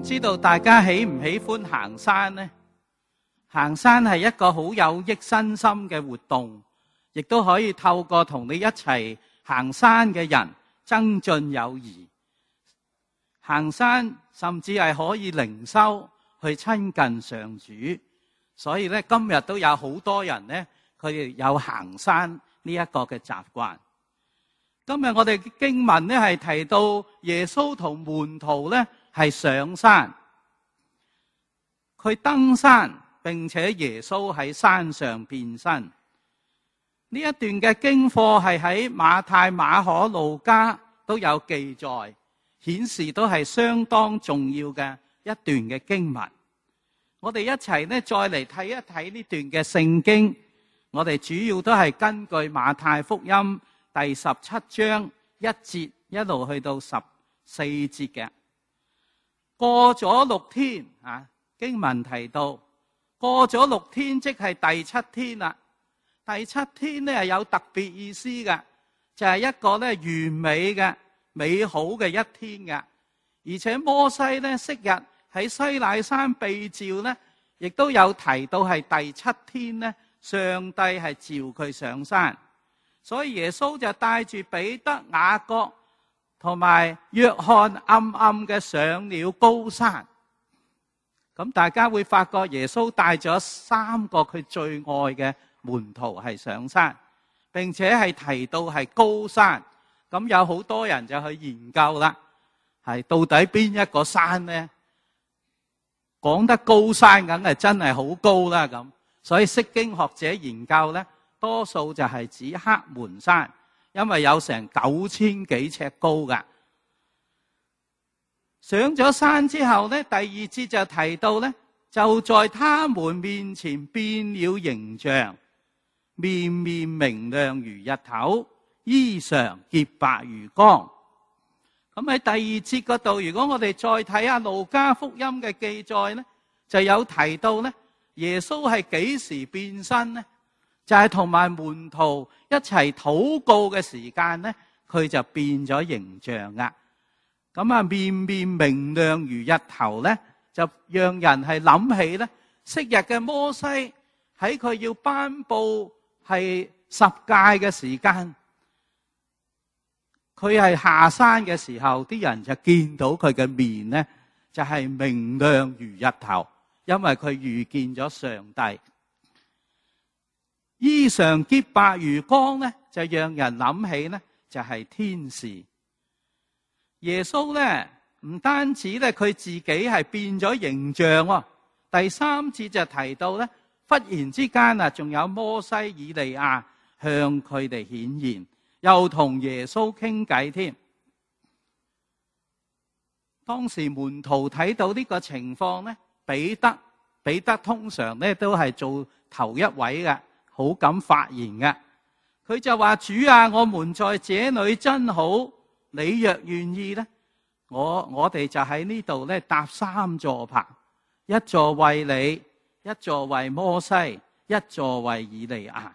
知道大家喜唔喜歡行山呢？行山係一個好有益身心嘅活動，亦都可以透過同你一齊行山嘅人增進友誼。行山甚至係可以靈修，去親近上主。所以咧，今日都有好多人呢，佢哋有行山呢一個嘅習慣。今日我哋經文呢係提到耶穌同門徒呢係上山，佢登山，並且耶穌喺山上變身。呢一段嘅經課係喺馬太、馬可、路加都有記載，顯示都係相當重要嘅一段嘅經文。我哋一齊呢再嚟睇一睇呢段嘅聖經。我哋主要都係根據馬太福音第17章1節一路去到14節嘅。過咗6天啊，經文提到過咗6天，即係第7天啦。第7天呢係有特別意思嘅，就係一個呢完美嘅美好嘅一天嘅。而且摩西呢昔日喺西乃山被召呢，亦都有提到係第7天呢，上帝係召佢上山。所以耶穌就帶住彼得、雅各同埋約翰暗暗嘅上了高山。咁大家會發覺耶穌帶咗3個佢最愛嘅門徒係上山，並且係提到係高山。咁有好多人就去研究啦，係到底邊一個山呢？講得高山梗係真係好高啦咁。所以釋經學者研究呢，多數就係指黑門山，因為有成9000幾尺高噶。上咗山之後呢，第2節就提到呢，就在他們面前變了形象，面面明亮如日頭，衣裳潔白如光。咁喺第2節嗰度，如果我哋再睇下路加福音嘅記載呢，就有提到呢，耶穌係幾時變身呢？就係同埋門徒一齊禱告嘅時間呢，佢就變咗形象啦。咁啊，面面明亮如日頭呢，就讓人係諗起呢，昔日嘅摩西喺佢要頒布係10誡嘅時間，佢係下山嘅時候，啲人就見到佢嘅面呢，就係明亮如日頭，因為佢遇見咗上帝。衣裳潔白如光呢，就讓人諗起呢，就係天使。耶穌呢，唔單止呢，佢自己係變咗形象喎。第3節就提到呢，忽然之間啊，仲有摩西、以利亞向佢哋顯現，又同耶穌傾偈添。當時門徒睇到呢個情況呢，彼得通常呢都係做頭一位嘅，好敢發言嘅。佢就話：主啊，我們在這裏真好，你若願意呢，我哋就喺呢度呢搭3座棚，一座為你，一座為摩西，一座為以利亞。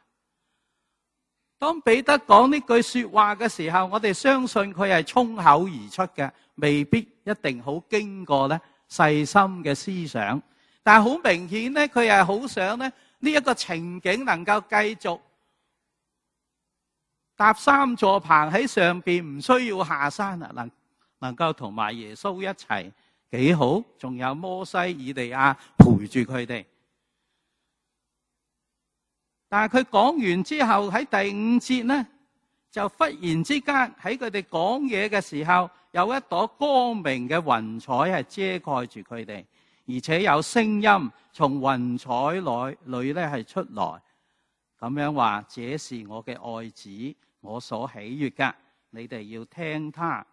當彼得講呢句說話嘅時候，我哋相信佢係衝口而出嘅，未必一定好經過呢細心嘅思想。但係好明顯呢，佢係好想呢一個情景能夠繼續搭3座棚喺上邊，唔需要下山啊，能夠同埋耶穌一齊幾好，仲有摩西、以利亞陪住佢哋。但係佢講完之後喺第5節呢，就忽然之間喺佢哋講嘢嘅時候，有一朵光明嘅雲彩係遮蓋住佢哋，而且有聲音從雲彩裏咧係出來，咁樣話：這是我嘅愛子，我所喜悅嘅，你哋要聽他。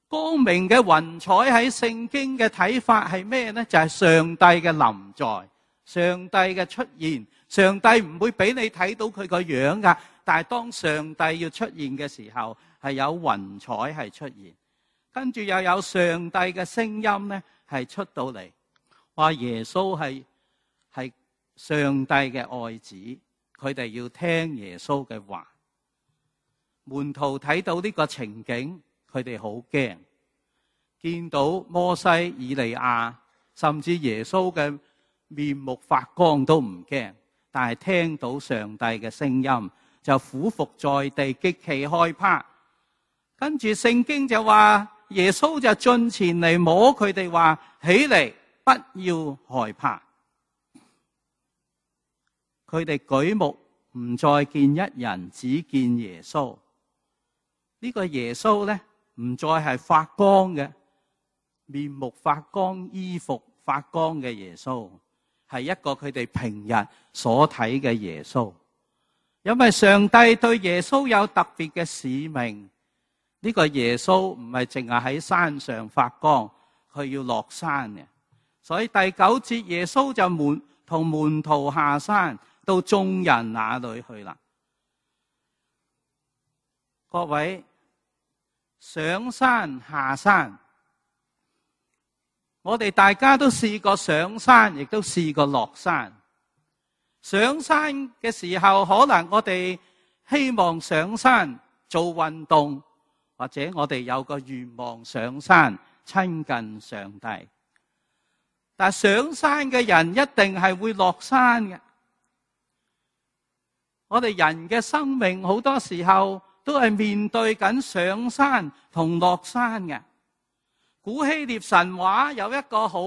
光明嘅雲彩喺聖經嘅睇法係咩呢？就係上帝嘅臨在，上帝嘅出現。上帝唔會俾你睇到佢個樣噶，但係當上帝要出現嘅時候，係有雲彩係出現，跟住又有上帝嘅聲音呢係出到嚟，話耶穌係上帝嘅愛子，佢哋要聽耶穌嘅話。門徒睇到呢個情景，佢哋好驚。見到摩西、以利亞，甚至耶穌嘅面目發光都唔驚，但係聽到上帝嘅聲音就俯伏在地，極其害怕。跟住聖經就話耶穌就進前嚟摸佢哋，話起嚟，不要害怕。佢哋舉目唔再見一人，只見耶穌。呢個耶穌呢，唔再係發光嘅，面目發光、衣服發光嘅耶穌，係一個佢哋平日所睇嘅耶穌。因為上帝對耶穌有特別嘅使命，呢個耶穌唔係淨係喺山上發光，佢要落山嘅。所以第9節耶穌就同門徒下山到眾人那裏去啦。各位，上山下山，我哋大家都試過上山，亦都試過落山。上山嘅時候，可能我哋希望上山做運動，或者我哋有個願望上山親近上帝。但上山嘅人一定係會落山嘅。我哋人嘅生命好多時候都係面對緊上山同落山嘅。古希臘神話有一個好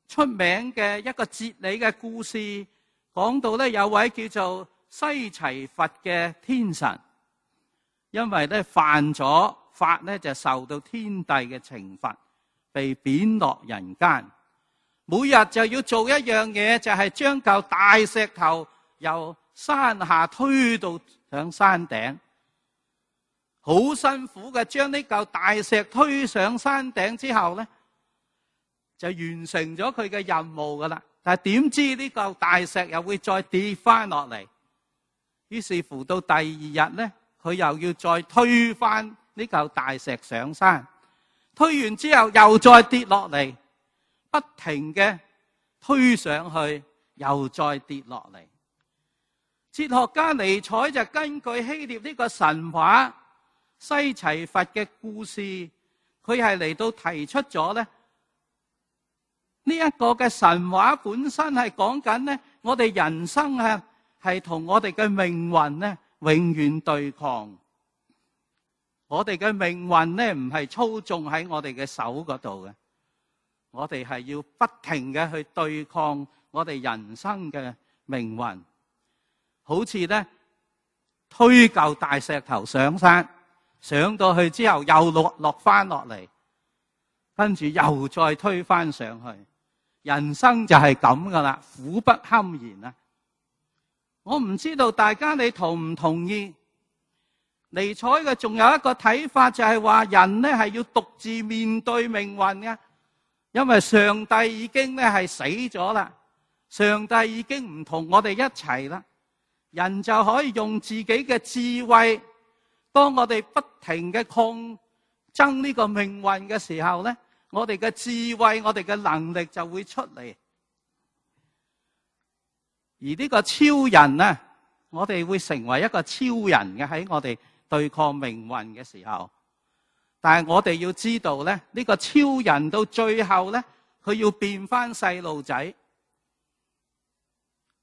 出名嘅一個哲理嘅故事，講到有位叫做西齊佛嘅天神，因為犯咗法就受到天帝嘅懲罰，被貶落人間。每日就要做一樣嘢，就係將嚿大石頭由山下推到上山頂，好辛苦嘅將呢嚿大石推上山頂之後呢，就完成咗佢嘅任務噶啦。但係點知呢嚿大石又會再跌翻落嚟，於是乎到第二日呢，佢又要再推翻呢嚿大石上山，推完之後又再跌落嚟，不停嘅推上去，又再跌落嚟。哲學家尼采就根據希臘呢個神話西齊佛嘅故事，佢係嚟到提出咗呢一個嘅神話本身係講緊我哋人生係同我哋嘅命運永遠對抗。我哋嘅命運唔係操縱喺我哋嘅手嗰度嘅，我哋係要不停嘅去對抗我哋人生嘅命運。好似推嚿大石頭上山，上到去之後又落翻落嚟，跟住又再推翻上去。人生就係咁噶啦，苦不堪言啊！我唔知道大家你同唔同意？尼采嘅仲有一個睇法，就係話人係要獨自面對命運嘅，因為上帝已經係死咗啦，上帝已經唔同我哋一齊啦。人就可以用自己嘅智慧，當我哋不停嘅抗爭呢個命運嘅時候呢，我哋嘅智慧，我哋嘅能力就會出嚟。而呢個超人呢，我哋會成為一個超人嘅，喺我哋對抗命運嘅時候。但係我哋要知道呢，呢個超人到最後呢，佢要變翻細路仔，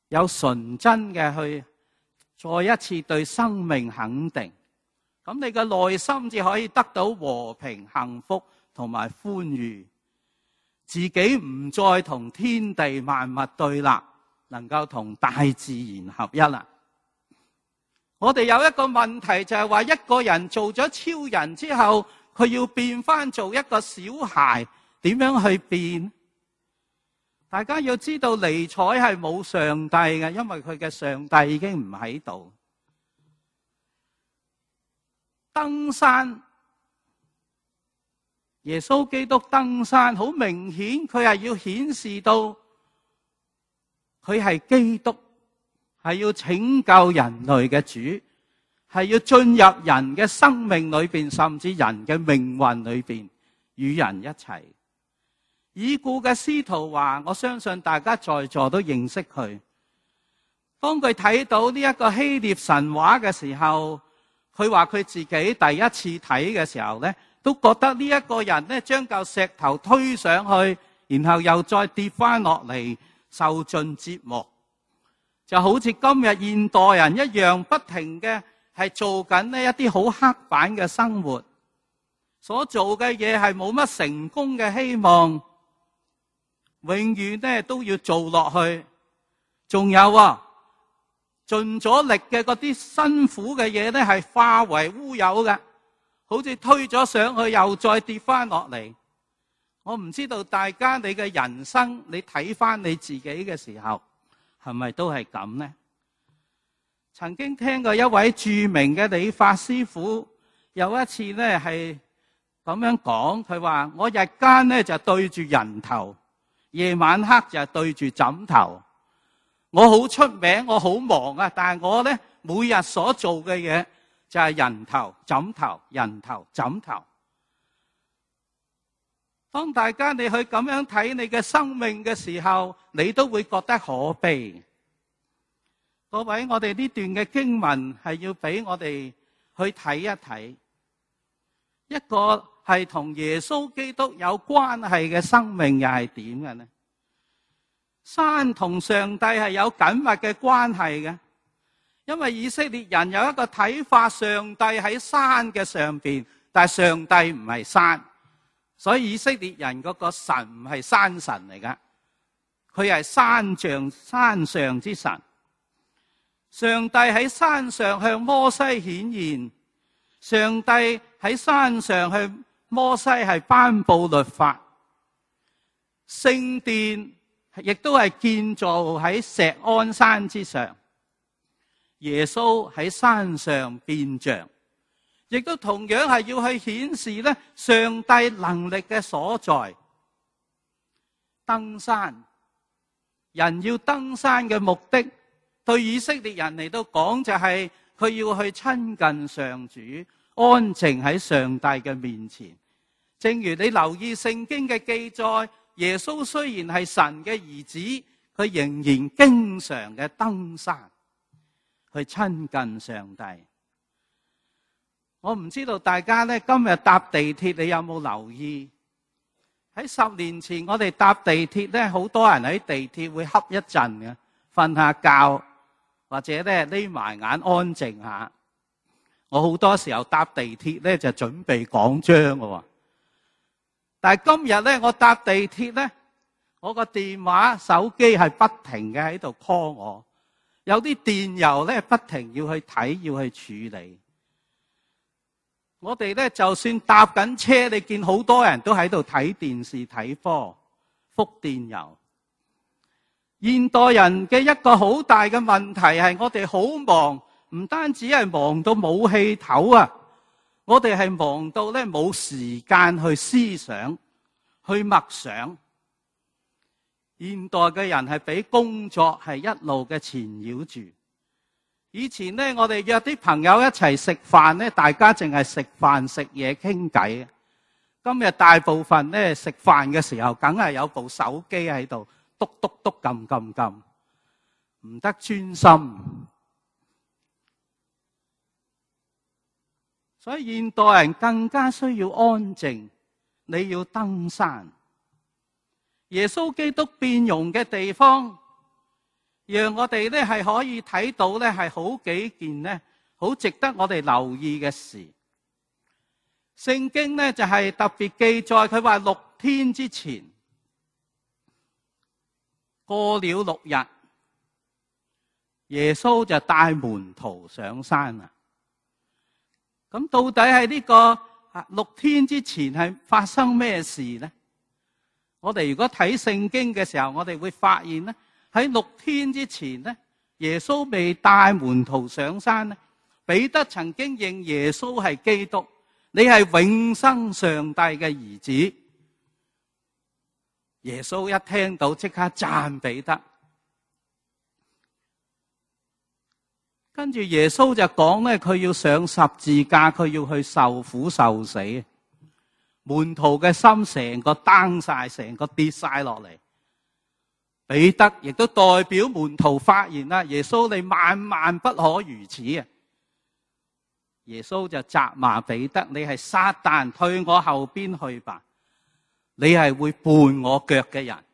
有純真嘅去再一次對生命肯定，咁你嘅內心至可以得到和平、幸福同埋歡愉，自己唔再同天地萬物對立，能夠同大自然合一啦。我哋有一個問題，就係話一個人做咗超人之後，佢要變翻做一個小孩，點樣去變？大家要知道尼采係冇上帝嘅，因為佢嘅上帝已經唔喺度。登山，耶穌基督登山，好明顯佢係要顯示到佢係基督，係要拯救人類嘅主，係要進入人嘅生命裏邊，甚至人嘅命運裏邊，與人一齊。已故嘅司徒華，我相信大家在座都認識佢。當佢睇到呢一個希臘神話嘅時候，佢話佢自己第一次睇嘅時候呢，都覺得呢一個人呢將嚿石頭推上去，然後又再跌翻落嚟，受盡折磨，就好似今日現代人一樣，不停嘅係做緊呢一啲好刻板嘅生活，所做嘅嘢係冇乜成功嘅希望，永遠呢都要做落去。仲有盡咗力嘅嗰啲辛苦嘅嘢呢係化為烏有嘅，好似推咗上去又再跌翻落嚟。我唔知道大家你嘅人生，你睇翻你自己嘅時候，係咪都係咁呢？曾經聽過一位著名嘅理髮師傅，有一次呢係咁樣講，佢話我日間呢就對住人頭，夜晚黑就對住枕頭。我好出名，我好忙啊，但係我呢每日所做嘅嘢就係人頭枕頭，人頭枕頭。當大家你去咁樣睇你嘅生命嘅時候，你都會覺得可悲。各位，我哋呢段嘅經文係要俾我哋去睇一睇，一個係同耶穌基督有關係嘅生命又係點嘅呢？山同上帝係有緊密嘅關係嘅，因為以色列人有一個睇法，上帝喺山嘅上邊，但係上帝唔係山。所以以色列人嗰個神唔係山神嚟噶，佢係山上之神。上帝喺山上向摩西顯現，上帝喺山上向摩西係頒布律法。聖殿亦都係建造喺錫安山之上，耶穌喺山上變像，亦都同樣係要去顯示咧上帝能力嘅所在。登山，人要登山嘅目的，對以色列人嚟到講就係佢要去親近上主，安靜喺上帝嘅面前。正如你留意聖經嘅記載，耶穌雖然係神嘅兒子，佢仍然經常嘅登山去親近上帝。我唔知道大家呢今日搭地鐵你有冇留意？喺10年前我哋搭地鐵呢，好多人喺地鐵會瞌一陣嘅，瞓下覺或者呢匿埋眼安靜下。我好多時候搭地鐵呢就準備講章嘅，但係今日呢我搭地鐵呢，我個電話手機係不停嘅喺度 call 我，有啲電郵呢不停要去睇要去處理。我哋咧就算搭緊車，你見好多人都喺度睇電視睇科覆電郵。現代人嘅一個好大嘅問題係我哋好忙，唔單止係忙到冇氣頭啊，我哋係忙到咧冇時間去思想去默想。現代嘅人係俾工作係一路嘅纏繞住。以前呢，我哋約啲朋友一齊食飯呢，大家淨係食飯食嘢傾偈。今日大部分呢，食飯嘅時候，梗係有部手機喺度，篤篤篤撳撳撳，唔得專心。所以現代人更加需要安靜，你要登山。耶穌基督變容嘅地方，讓我哋咧係可以睇到咧係好幾件咧好值得我哋留意嘅事。聖經咧就係特別記載，佢話6天之前過了6日，耶穌就帶門徒上山啦。咁到底係呢個6天之前係發生咩事呢？我哋如果睇聖經嘅時候，我哋會發現咧，喺6天之前咧，耶穌未帶門徒上山咧，彼得曾經認耶穌係基督，你係永生上帝嘅兒子。耶穌一聽到即刻讚彼得，跟住耶穌就講咧，佢要上十字架，佢要去受苦受死。門徒嘅心成個 down 晒，成個跌晒落嚟。彼得亦都代表門徒發言啦，耶穌你萬萬不可如此啊！耶穌就責罵彼得，你係撒旦，退我後邊去吧，你係會絆我腳嘅人。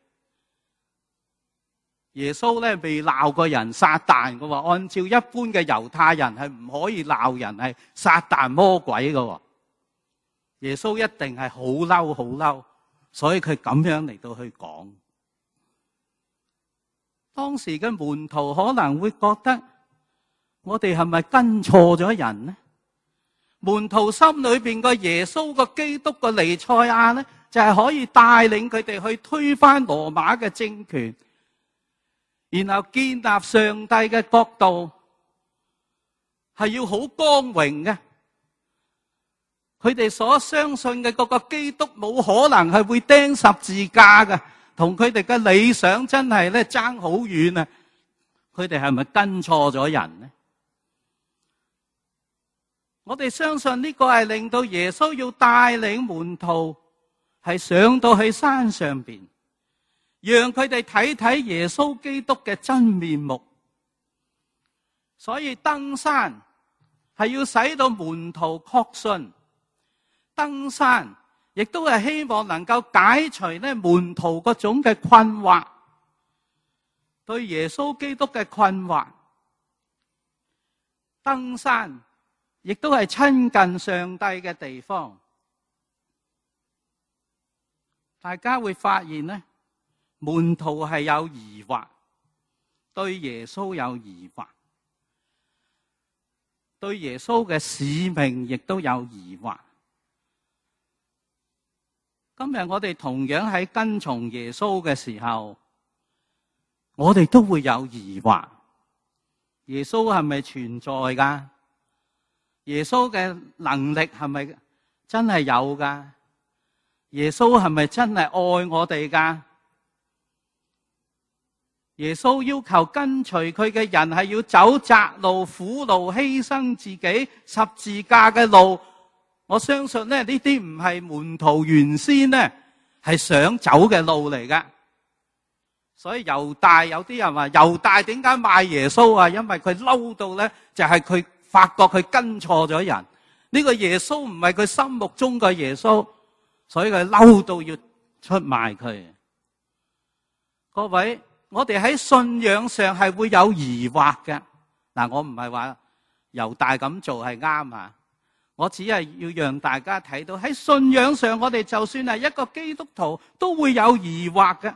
耶穌咧未鬧過人撒旦嘅喎，按照一般嘅猶太人係唔可以鬧人係撒旦魔鬼嘅喎。耶穌一定係好嬲好嬲，所以佢咁樣嚟到去講。當時嘅門徒可能會覺得，我哋係咪跟錯咗人呢？門徒心裏邊個耶穌個基督個彌賽亞呢，就係可以帶領佢哋去推翻羅馬嘅政權，然後建立上帝嘅國度，係要好光榮嘅。佢哋所相信嘅嗰個基督冇可能係會釘十字架嘅，同佢哋嘅理想真係咧爭好遠啊！佢哋係咪跟錯咗人呢？我哋相信呢個係令到耶穌要帶領門徒係上到去山上邊，讓佢哋睇睇耶穌基督嘅真面目。所以登山係要使到門徒確信，登山亦都係希望能夠解除咧門徒嗰種嘅困惑，對耶穌基督嘅困惑。登山亦都係親近上帝嘅地方。大家會發現咧，門徒係有疑惑，對耶穌有疑惑，對耶穌嘅使命亦都有疑惑。今日我哋同樣喺跟從耶穌嘅時候，我哋都會有疑惑。耶穌係咪存在㗎？耶穌嘅能力係咪真係有㗎？耶穌係咪真係愛我哋㗎？耶穌要求跟隨佢嘅人係要走窄路、苦路、犧牲自己、十字架嘅路。我相信呢啲唔係門徒原先呢係想走嘅路嚟㗎。所以猶大，有啲人話猶大點解賣耶穌啊？因為佢嬲到呢，就係佢發覺佢跟錯咗人。呢個耶穌唔係佢心目中嘅耶穌，所以佢嬲到要出賣佢。各位，我哋喺信仰上係會有疑惑嘅。嗱，我唔係話猶大咁做係啱啊，我只係要讓大家睇到喺信仰上，我哋就算係一個基督徒都會有疑惑嘅。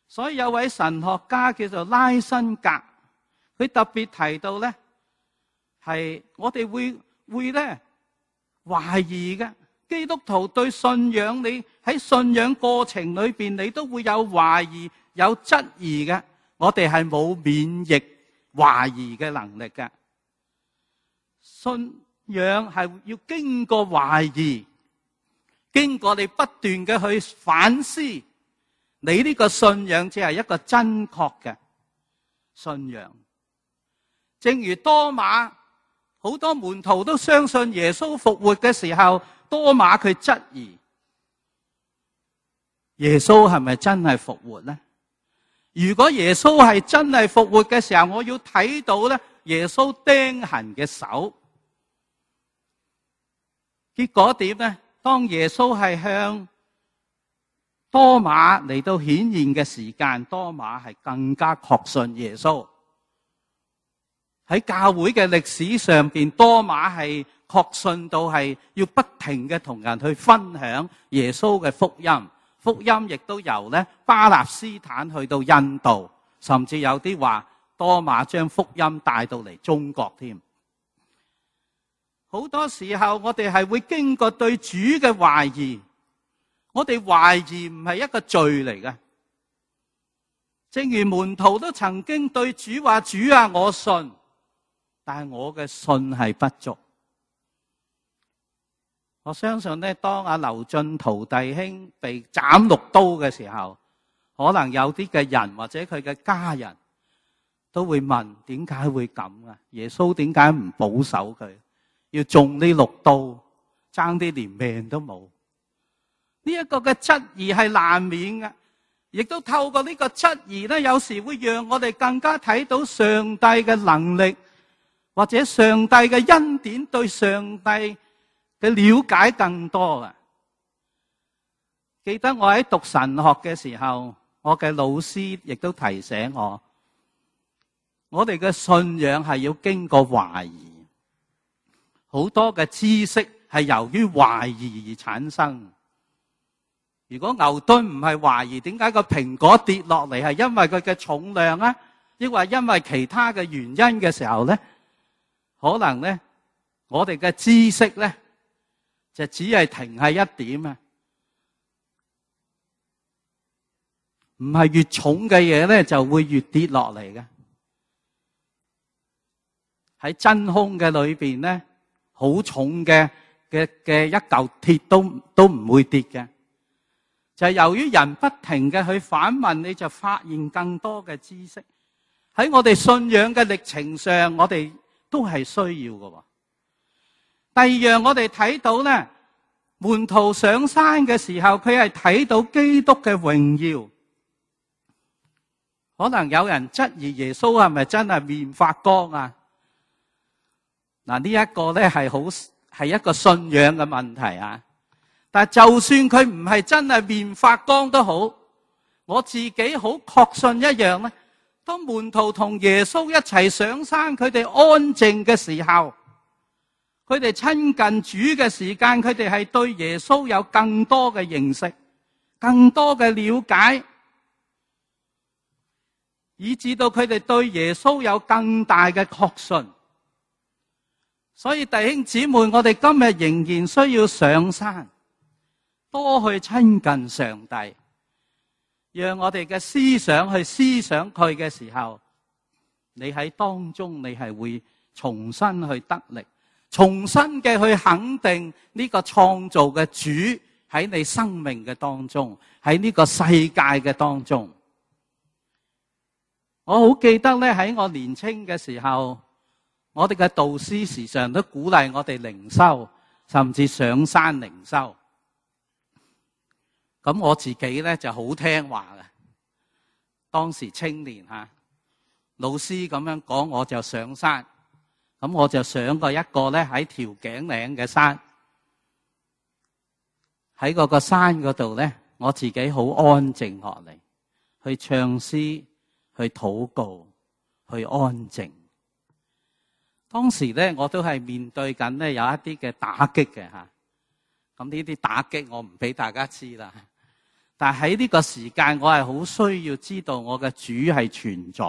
所以有位神學家叫做拉辛格，佢特別提到咧，係我哋會咧懷疑嘅。基督徒對信仰，你喺信仰過程裏邊，你都會有懷疑、有質疑嘅。我哋係冇免疫懷疑嘅能力嘅。信仰係要經過懷疑，經過你不斷嘅去反思，你呢個信仰只係一個真確嘅信仰。正如多馬，好多門徒都相信耶穌復活嘅時候，多馬佢質疑耶穌係咪真係復活呢？如果耶穌係真係復活嘅時候，我要睇到咧耶穌釘痕嘅手。結果點呢？當耶穌係向多馬嚟到顯現嘅時間，多馬係更加確信耶穌。喺教會嘅歷史上邊，多馬係確信到係要不停嘅同人去分享耶穌嘅福音。福音亦都由咧巴勒斯坦去到印度，甚至有啲話多馬將福音帶到嚟中國添。好多時候我哋係會經過對主嘅懷疑，我哋懷疑唔係一個罪嚟嘅。正如門徒都曾經對主話：主啊，我信，但係我嘅信係不足。我相信咧，當阿劉進圖弟兄被斬6刀嘅時候，可能有啲嘅人或者佢嘅家人都會問：點解會咁啊？耶穌點解唔保守佢，要中呢6刀，爭啲連命都冇？呢一個嘅質疑係難免嘅，亦都透過呢個質疑咧，有時會讓我哋更加睇到上帝嘅能力，或者上帝嘅恩典對上帝嘅了解更多啊！記得我喺讀神學嘅時候，我嘅老師亦都提醒我哋嘅信仰係要經過懷疑，好多嘅知識係由於懷疑而產生。如果牛頓唔係懷疑，點解個蘋果跌落嚟，係因為佢嘅重量啊，抑或因為其他嘅原因嘅時候咧，可能咧我哋嘅知識咧就只係停喺一點啊，唔係越重嘅嘢咧就會越跌落嚟嘅。喺真空嘅裏邊咧，好重嘅一嚿鐵都唔會跌嘅。就係由於人不停嘅去反問，你就發現更多嘅知識。喺我哋信仰嘅歷程上，我哋都係需要嘅。第二樣我哋睇到咧，門徒上山嘅時候，佢係睇到基督嘅榮耀。可能有人質疑耶穌係咪真係面發光啊？嗱，呢一個咧係一個信仰嘅問題啊。但就算佢唔係真係面發光都好，我自己好確信一樣咧，當門徒同耶穌一齊上山，佢哋安靜嘅時候，佢哋親近主嘅時間，佢哋係對耶穌有更多嘅認識，更多嘅了解，以致到佢哋對耶穌有更大嘅確信。所以弟兄姊妹，我哋今日仍然需要上山，多去親近上帝，讓我哋嘅思想去思想佢嘅時候，你喺當中你係會重新去得力，重新嘅去肯定呢個創造嘅主喺你生命嘅當中，喺呢個世界嘅當中。我好記得咧，喺我年青嘅時候，我哋嘅導師時常都鼓勵我哋靈修，甚至上山靈修。咁我自己咧就好聽話嘅，當時青年吓，老師咁樣講我就上山。咁我就上過一個咧喺調景嶺嘅山，喺嗰個山嗰度咧，我自己好安靜落嚟，去唱詩，去禱告，去安靜。當時咧我都係面對緊咧有一啲嘅打擊嘅吓，咁呢啲打擊我唔俾大家知啦。但係喺呢個時間，我係好需要知道我嘅主係存在。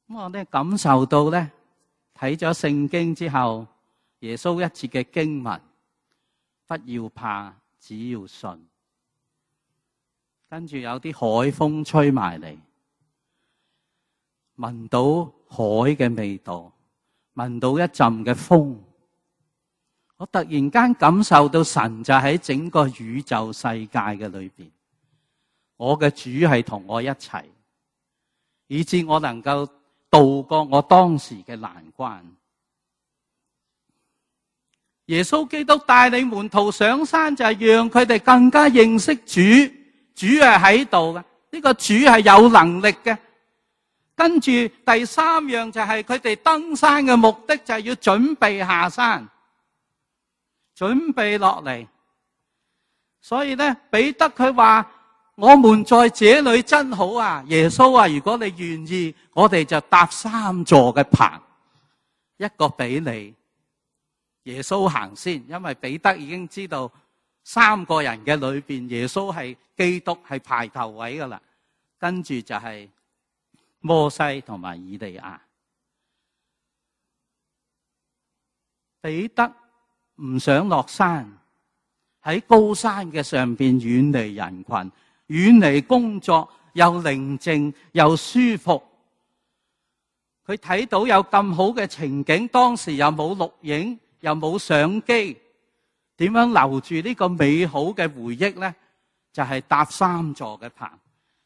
咁我咧感受到咧，睇咗聖經之後，耶穌一節嘅經文，不要怕，只要信。跟住有啲海風吹埋嚟，聞到海嘅味道，聞到一陣嘅風。我突然間感受到神就喺整個宇宙世界嘅裏邊，我嘅主係同我一齊，以致我能夠渡過我當時嘅難關。耶穌基督帶領門徒上山，就係讓佢哋更加認識主，主係喺度嘅，呢個主係有能力嘅。跟住第三樣就係佢哋登山嘅目的，就係要準備下山，準備落嚟。所以咧，彼得佢話：我們在這裏真好啊！耶穌啊，如果你願意，我哋就搭3座嘅棚，一個俾你。耶穌行先，因為彼得已經知道3個人嘅裏邊，耶穌係基督，係排頭位噶啦。跟住就係摩西同埋以利亞。彼得唔想落山，喺高山嘅上邊遠離人群，遠離工作，又寧靜又舒服。佢睇到有咁好嘅情景，當時又冇錄影，又冇相機，點樣留住呢個美好嘅回憶呢？就係搭3座嘅棚，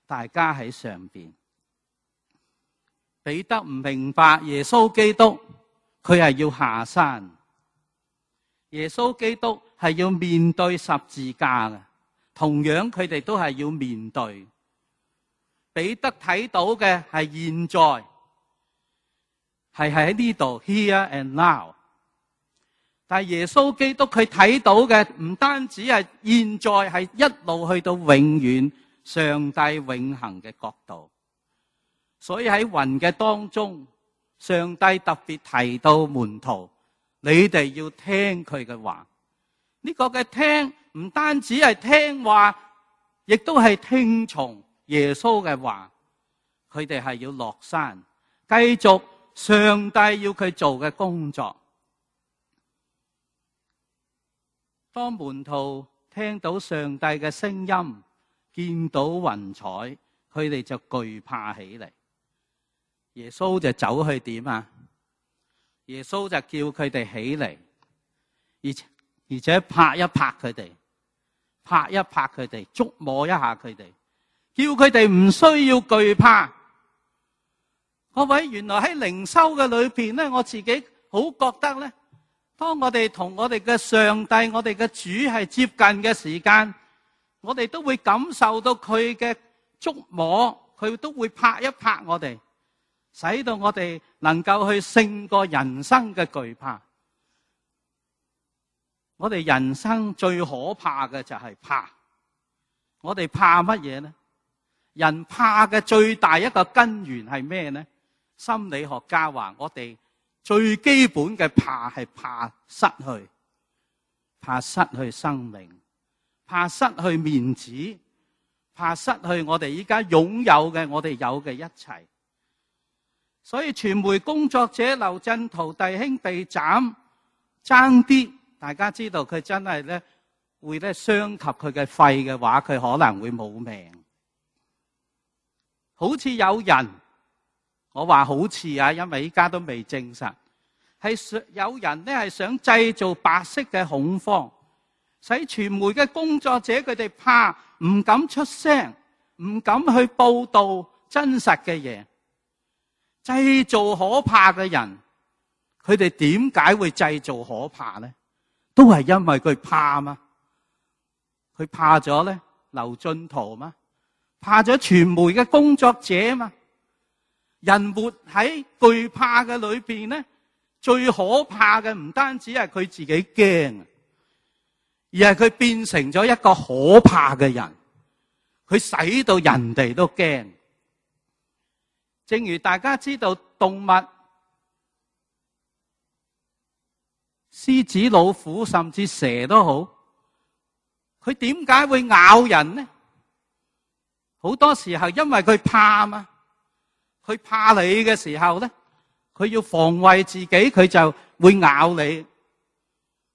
大家喺上邊。彼得唔明白耶穌基督，佢係要下山。耶穌基督係要面對十字架嘅，同樣佢哋都係要面對。彼得睇到嘅係現在，係喺呢度 here and now。但係耶穌基督佢睇到嘅唔單止係現在，係一路去到永遠上帝永恆嘅國度。所以喺雲嘅當中，上帝特別提到門徒，你哋要聽佢嘅話。呢個嘅聽唔單止係聽話，亦都係聽從耶穌嘅話。佢哋係要落山，繼續上帝要佢做嘅工作。當門徒聽到上帝嘅聲音，見到雲彩，佢哋就懼怕起嚟。耶穌就走去點啊？耶穌就叫佢哋起嚟，而且拍一拍佢哋，拍一拍佢哋，觸摸一下佢哋，叫佢哋唔需要懼怕。各位，原來喺靈修嘅裏邊咧，我自己好覺得咧，當我哋同我哋嘅上帝、我哋嘅主係接近嘅時間，我哋都會感受到佢嘅觸摸，佢都會拍一拍我哋，使到我哋能夠去勝過人生嘅懼怕。我哋人生最可怕嘅就係怕。我哋怕乜嘢呢？人怕嘅最大一個根源係咩呢？心理學家話我哋最基本嘅怕係怕失去，怕失去生命，怕失去面子，怕失去我哋依家擁有嘅我哋有嘅一切。所以傳媒工作者劉振圖弟兄被斬，爭啲大家知道佢真係咧會咧傷及佢嘅肺嘅話，佢可能會冇命。好似有人，我話好似啊，因為依家都未證實，係有人咧係想製造白色嘅恐慌，使傳媒嘅工作者佢哋怕，唔敢出聲，唔敢去報道真實嘅嘢，製造可怕嘅人。佢哋點解會製造可怕呢？都係因為佢怕嘛。佢怕咗咧劉進圖嘛，怕咗傳媒嘅工作者嘛。人活喺懼怕嘅裏邊咧，最可怕嘅唔單止係佢自己驚，而係佢變成咗一個可怕嘅人，佢使到人哋都驚。正如大家知道動物，獅子、老虎甚至蛇都好，佢點解會咬人呢？好多時候因為佢怕嘛。佢怕你嘅時候咧，佢要防衛自己，佢就會咬你。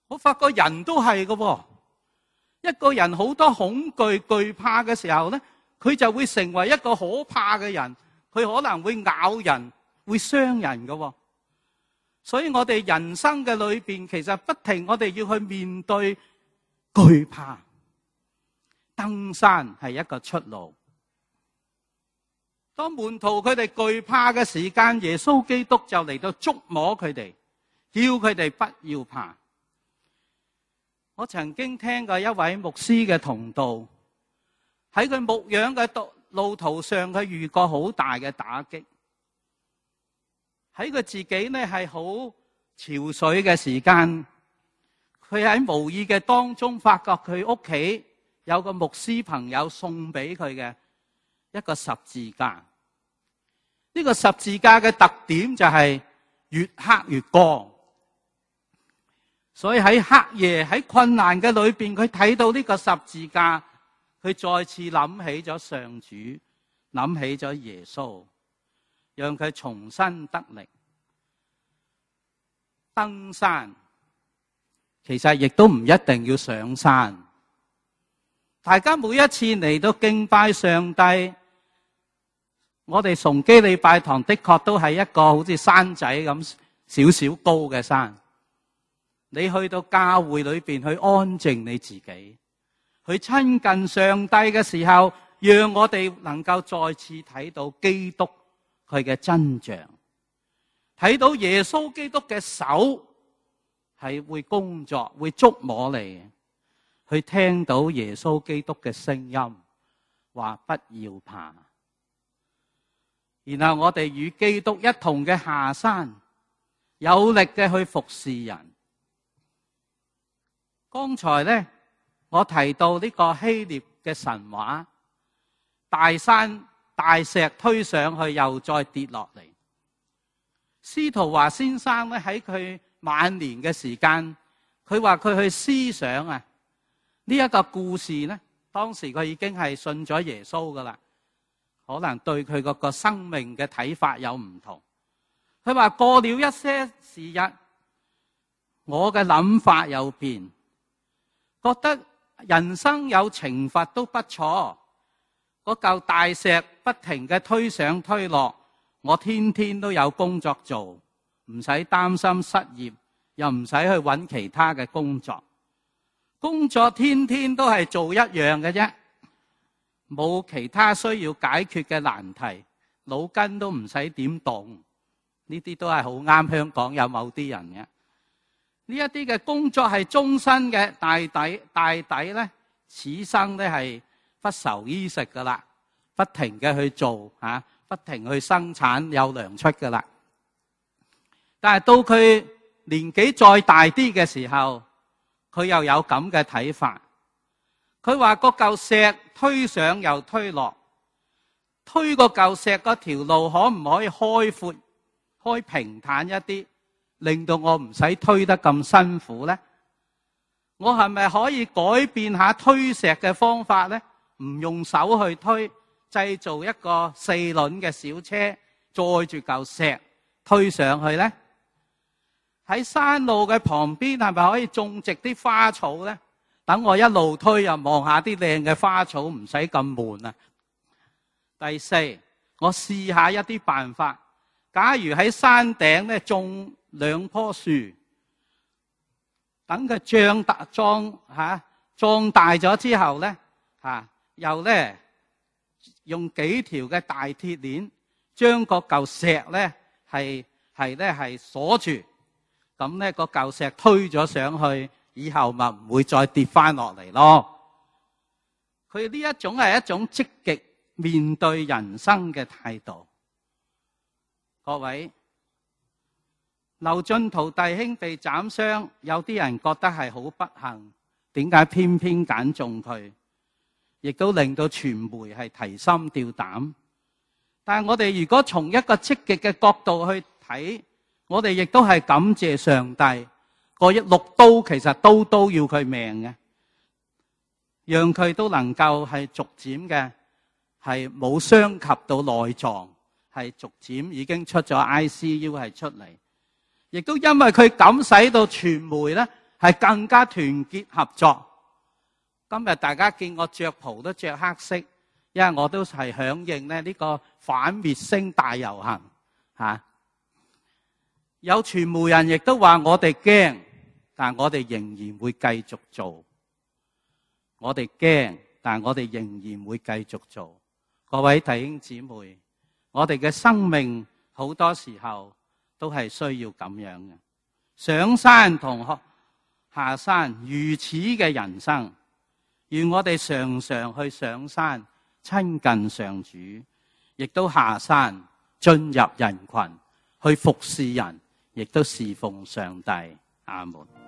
我發覺人都係嘅，一個人好多恐懼、懼怕嘅時候咧，佢就會成為一個可怕嘅人，佢可能會咬人，會傷人嘅。所以我哋人生嘅裏邊，其實不停我哋要去面對懼怕。登山係一個出路。當門徒佢哋懼怕嘅時間，耶穌基督就嚟到觸摸佢哋，叫佢哋不要怕。我曾經聽過一位牧師嘅同道，喺佢牧養嘅路途上，佢遇過好大嘅打擊。喺佢自己呢係好憔悴嘅時間，佢喺無意嘅當中發覺佢屋企有個牧師朋友送俾佢嘅一個十字架。呢個十字架嘅特點就係越黑越光。所以喺黑夜喺困難嘅裏邊，佢睇到呢個十字架，佢再次諗起咗上主，諗起咗耶穌，讓佢重新得力。登山其實亦都唔一定要上山。大家每一次嚟到敬拜上帝，我哋崇基禮拜堂的確都係一個好似山仔咁少少高嘅山。你去到教會裏邊去安靜你自己，去親近上帝嘅時候，讓我哋能夠再次睇到基督佢嘅真像，睇到耶穌基督嘅手係會工作，會觸摸你，去聽到耶穌基督嘅聲音，話不要怕。然後我哋與基督一同嘅下山，有力嘅去服侍人。剛才呢，我提到呢個希臘嘅神話，大山大石推上去又再跌落嚟。司徒華先生咧喺佢晚年嘅時間，佢話佢去思想啊呢一個故事呢，當時佢已經係信咗耶穌噶啦，可能對佢嗰個生命嘅睇法有唔同。佢話過了一些時日，我嘅諗法有變，覺得人生有懲罰都不錯。嗰嚿大石不停嘅推上推落，我天天都有工作做，唔使擔心失業，又唔使去揾其他嘅工作。工作天天都係做一樣嘅啫，冇其他需要解決嘅難題，腦筋都唔使點動。呢啲都係好啱香港有某啲人嘅。呢一啲嘅工作係終身嘅，大抵呢，此生呢係不愁衣食噶啦，不停嘅去做不停去生產，有糧出噶啦。但係到佢年紀再大啲嘅時候，佢又有咁嘅睇法。佢話個嚿石推上又推落，推個嚿石嗰條路可唔可以開闊、開平坦一啲，令到我唔使推得咁辛苦呢？我係咪可以改變下推石嘅方法呢？唔用手去推，製造一個4輪嘅小車，載住嚿石推上去呢？喺山路嘅旁邊係咪可以種植啲花草呢？等我一路推又望下啲靚嘅花草，唔使咁悶啊！第四，我試下一啲辦法。假如喺山頂咧種2棵樹，等佢壯大咗之後咧又咧用幾條嘅大鐵鏈將個嚿石咧係鎖住，咁咧個嚿石推咗上去，以後咪唔會再跌翻落嚟咯。佢呢一種係一種積極面對人生嘅態度。各位，劉進圖弟兄被斬傷，有啲人覺得係好不幸，點解偏偏揀中佢？亦都令到傳媒係提心吊膽。但係我哋如果從一個積極嘅角度去睇，我哋亦都係感謝上帝。個6刀其實刀刀要佢命嘅，讓佢都能夠係逐漸嘅係冇傷及到內臟，係逐漸已經出咗 ICU 係出嚟。亦都因為佢咁使到傳媒咧係更加團結合作。今日大家見我着袍都着黑色，因為我都係響應呢個反滅聲大遊行有傳媒人亦都話我哋驚，但我哋仍然會繼續做。我哋驚，但我哋仍然會繼續做。各位弟兄姊妹，我哋嘅生命好多時候都係需要咁樣嘅，上山同下山如此嘅人生。願我哋常常去上山親近上主，亦都下山進入人群去服侍人，亦都侍奉上帝。阿門。